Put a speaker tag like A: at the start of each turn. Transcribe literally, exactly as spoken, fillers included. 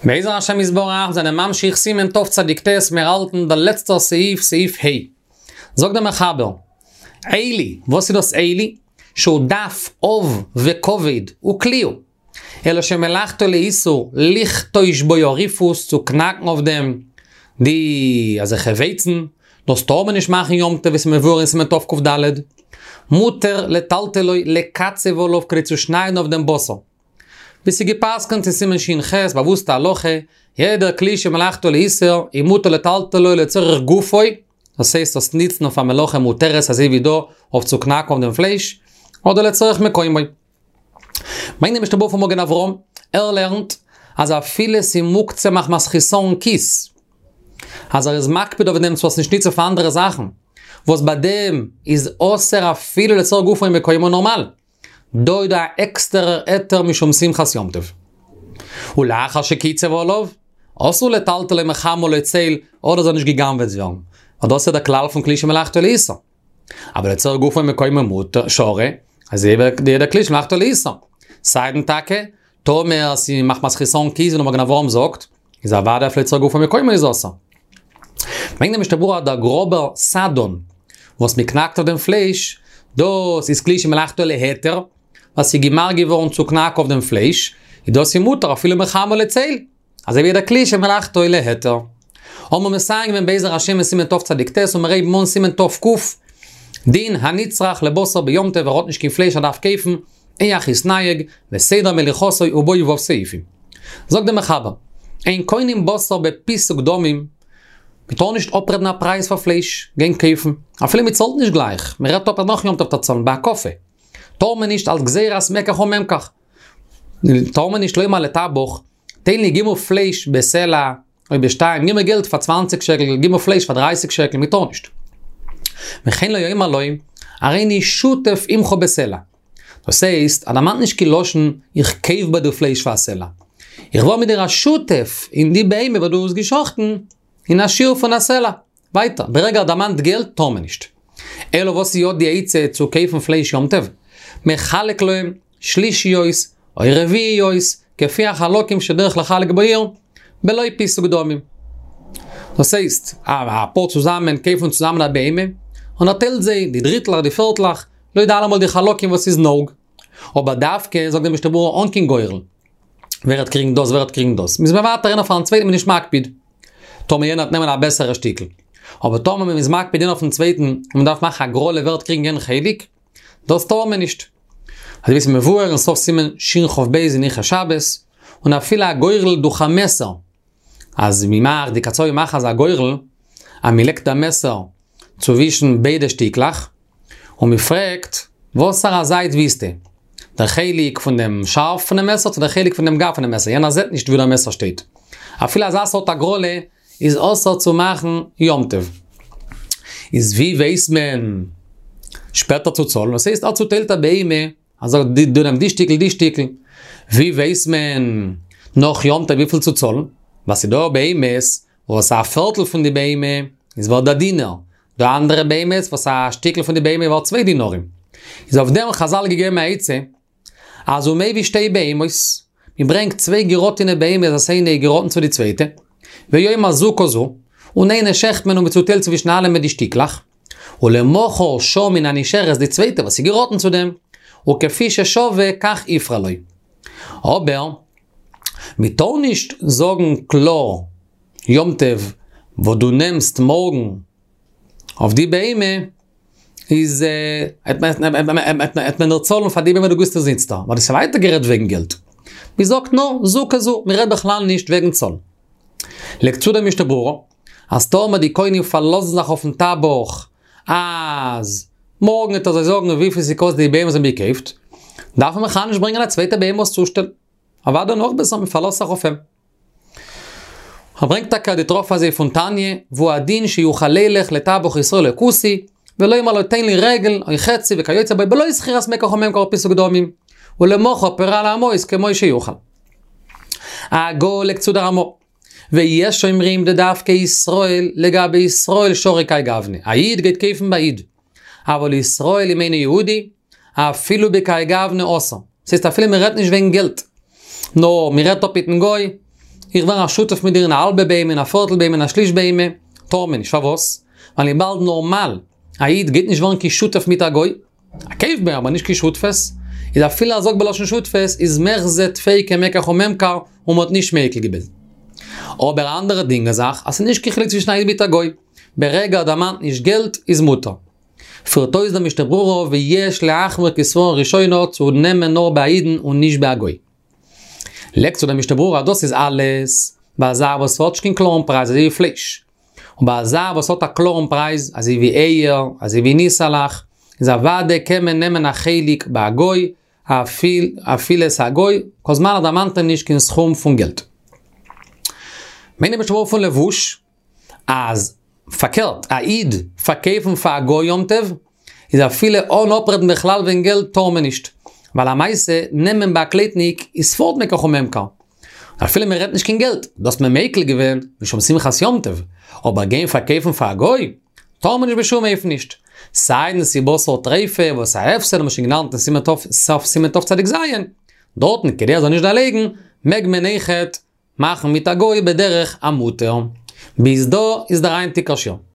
A: בעזר השם יתברך זענען ממשיך סימן תצ"ט, מיר האלטן דער לעצטער סעיף, סעיף ה'. זאגט דער מחבר, עלי, וואס איז דאס עלי? שהוא דף עב וכבד וכלי הוא. אלא שמלאכתו לאיסור לכתוש בו הריפוס, צו קנאקן אויף דעם די אזעלכע ווייצן, דאס טאר מען נישט מאכן יום טוב ווי ס'איז מבואר אין סימן תקד, מותר לטלטלו לקצב עליו כדי צו שניידן אויף דעם בשר. ווי ס'איז גע'פסק'נט אין סימן ש"ח, באוואוסטע הלכה, יעדער כלי שמלאכתו לאיסור, איז מותר לטלטלו לצורך גופו, דאס הייסט דאס ניצן אויף א מלאכה מותרת אזוי ווי דא אויף צו קנאקן אויף דעם פלייש, אדער לצורך מקומו. ברענגט דער משנה ברורה פון מגן אברהם, ער לערנט אז אפילו ס'איז מוקצה מחמת חיסרון כיס, אז ער איז מקפיד אויף דעם צו עס נישט ניצן פאר אנדערע זאכן, וואס ביי דעם איז אסור אפילו לצורך גופו ומקומו נארמאל. דא איז דא א עקסטערער היתר משום שמחת יום טוב. ולאחר שקיצב עליו, אסור לטלטלו מחמה לצל, אדער זאל נישט גע'גנב'עט ווערן. ווייל דאס איז דער כלל פון כלי שמלאכתו לאיסור. אבער לצורך גופו ומקומו מותר, שרי, אזוי ווי יעדער כלי שמלאכתו לאיסור. סיידן טאקע, טאמער ס'איז מחמת חסרון כיס ווי דער מגן אברהם זאגט, איז אוודאי אפילו לצורך גופו ומקומו איז אסור. ברענגט דער משנה ברורה אז דער גראבער סדן וואס מען קנאקט אויף דעם פלייש, דאס איז כלי שמלאכתו להיתר, ווייל ס'איז געמאכט געווארן צו קנאקן אויף דעם פלייש, איז דאס איז מותר אפילו מחמה לצל, אזוי ווי יעדער כלי שמלאכתו להיתר. האבן מיר מסיים געווען בעזר השם אין סימן תצ"ט און מיר הייבן אן סימן תק, דין הנצרך לבשר ביום טוב ער האט נישט קיין פלייש ער דארף קויפן, איך יתנהג, וסדר מליחתו ובו ו' סעיפים. זאגט דער מחבר, אין קונים בשר בפיסוק דמים, מען טאר נישט אפרעדן א פרייז פאר פלייש, גיין קויפן, אפילו מען צאלט נישט גלייך, מען רעדט אפ אז נאך יום טוב וועט ער צאלן בהקפה, טאר מען נישט אלס גזירת מקח וממכר, טאר מען נישט לומר לטבח, תן לי גיב מיר פלייש בסלע, או בשתיים, גיב מיר געלט פאר צוואַנציק שקל, גיב מיר פלייש פאר דרײַסיק שקל, מען טאר נישט. וכן לא יאמר לו, הריני שותף עמך בסלע. דאס הייסט, ער דערמאנט נישט קיין לשון, איך קויף ביי דיר פלייש פאר א סלע. איך ווער מיט דיר א שותף אין די בהמה וואס דו האסט גע'שחט'ן, אין א שיעור פון א סלע. ווייטער, ברגע ער דערמאנט געלט, טאר מען נישט. אלא וואס איז יא די עצה צו קויפן פלייש יום טוב? מחלק להם שלישיות או רביעיות, כפי החלקים שדרך לחלק בעיר, בלא פיסוק דמים. דאס הייסט, אפאר צוזאמען קויפן צוזאמען א בהמה, און ער טיילט זיי די דריטלעך די פערטלעך, לויט אלעמאל די חלקים וואס איז נהוג. אבער דווקא, זאגט די משנה ברורה, אן קיין גורל. ווער וועט קריגן דאס ווער וועט קריגן דאס. מ'איז מוותר איינער פארן צווייטן מ'איז נישט מקפיד. טאמער יענער וועט נעמען א בעסערע שטיקל. אבער טאמער מ'איז מקפיד איינער אויפן צווייטן און מ'דארף מאכן א הגרלה ווער וועט קריגן יענעם חלק, דאס טאר מען נישט. אזוי ווי ס'איז מבואר אין סוף סימן שכ"ב אין הלכות שבת, און אפילו א גורל דורך א מעסער, אז מ'מאכט, די קצבים מאכן אזא גורל, אז מ'לייגט א מעסער צווישן ביידע שטיקלעך, און מ'פרעגט, וואסערע זייט ווילסטו? דער חלק פון דעם שארף פונעם מעסער צו דער חלק פון דעם גב פונעם מעסער, יענער זעט נישט וואו דער מעסער שטייט. אפילו אזא סארט הגרלה איז אסור צו מאכן יום טוב. איז ווי ווייסט מען שפעטער צו צאלן? דאס הייסט ער צוטיילט א בהמה, ער זאגט דו נעם די שטיקל די שטיקל. ווי ווייסט מען נאך יום טוב וויפיל צו צאלן? ווייל ס'איז דא בהמות וואס א פערטל פון די בהמה איז ווערד א דינר, דא אנדערע בהמות וואס א שטיקל פון די בהמה איז ווערד צוויי דינרים. איז אויף דעם חזל געגעבן א עצה, אז ומביא שתי בהמות, מען ברענגט צוויי געראטענע בהמות וואס איינע איז געראטן צו די צווייטע, ויאמר זו כזו, און איינע שעכט מען און מען צוטיילט צווישן אלעמען די שטיקלעך, ולמחר שעה מן הנשארת די צווייטע וואס איז געראטן צו דעם, וכפי ששווה כך יפרע לו. אבער, מען טאר נישט זאגן קלאר יום טוב וואס דו נעמסט מארגן אויף די בהמה, איז וועט מען דיר צאלן פאר די בהמה דו גיבסט אונז איצטער, ווייל דאס איז ווייטער גערעדט וועגן געלט. מען זאגט נאר זו כזו, מען רעדט בכלל נישט וועגן צאלן. לייגט צו דער משנה ברורה, אז טאמער די קונים פארלאזן זיך אויפן טבח אז מארגן וועט ער זיי זאגן וויפיל ס'קאסט די בהמה וואס זיי האבן געקויפט, דארף מען בכלל נישט ברענגען א צווייטע בהמה עס צושטעלן. אוודאי נאך בעסער מען פארלאזט זיך אויף אים. ער ברענגט טאקע די טראפ אזוי פון תניא, והוא הדין שיוכל לילך לטבח ישראל או כותי, ולומר לו תן לי רגל או חצי וכיוצא בו בלא זכירת מקח וממכר ופיסוק דמים, ולמחר פורע לאמהות כמו שיוכל. הגהה לייגט צו דער רמא, ויש אומרים דדווקא ישראל לגבי ישראל שרי כהאי גוונא, א איד גייט קויפן ביי איד, אבל ישראל עם אינו יהודי, אפילו בכהאי גוונא אסור. ס'הייסט אפילו מ'רעדט נישט וועגן געלט, נאר מ'רעדט אפ מיטן גוי, איך ווער א שותף מיט דיר אין א האלבע בהמה, אין א פערטל בהמה, אין א שליש בהמה, טאר מען נישט. פארוואס? ווייל וויבאלד נארמאל א איד גייט נישט ווערן קיין שותף מיט א גוי, א קויף ביי אים אבער נישט קיין שותפות, איז אפילו ער זאגט בלשון שותפות איז מחזי טפי כמקח וממכר און מ'האט נישט מיקל געווען. אבער א אנדערע דינג איז זאך אז ס'איז נישט קיין חילוק צווישן א איד מיט א גוי, ברגע ער דערמאנט נישט געלט איז מותר. פירט אויס דער משנה ברורה ויש להחמיר כסברא ראשונה צו נעמען נאר ביי א אידן און נישט ביי א גוי. לייגט צו דער משנה ברורה אז דאס איז אלעס ביי א זאך וואס האט נישט קיין קלארן פרייז אזוי ווי פלייש. און ביי א זאך וואס האט א קלארן פרייז אזוי ווי אייער, אזוי ווי ניסעלעך, איז אוודאי קען מען נעמען א חלק ביי א גוי, אפילו עס איז א גוי, כל זמן ער דערמאנט אים נישט קיין סכום פון געלט. מיינט דער משנה ברורה פון לבוש, אז פארקערט, א איד פארקויפן פאר א גוי יום טוב, איז אפילו אן אפרעדן בכלל וועגן געלט טאר מען נישט, ווייל למעשה נעמען ביי א קלייטניק איז פארט מקח וממכר. אפילו מען רעדט נישט קיין געלט, דאס האט מען מיקל געווען משום שמחת יום טוב, אבער גיין פארקויפן פאר א גוי, טאר מען נישט בשום אופן נישט. סיידן ס'איז בשר טריפה וואס א הפסד האט מען שוין געלערנט אין סימן ת', סוף סימן תצ"ז, דארטן כדי ער זאל נישט דערלייגן, מעג מען אויכעט מאכן מיט א גוי בדרך המותר. ביז דא איז דער היינטיגער שיעור.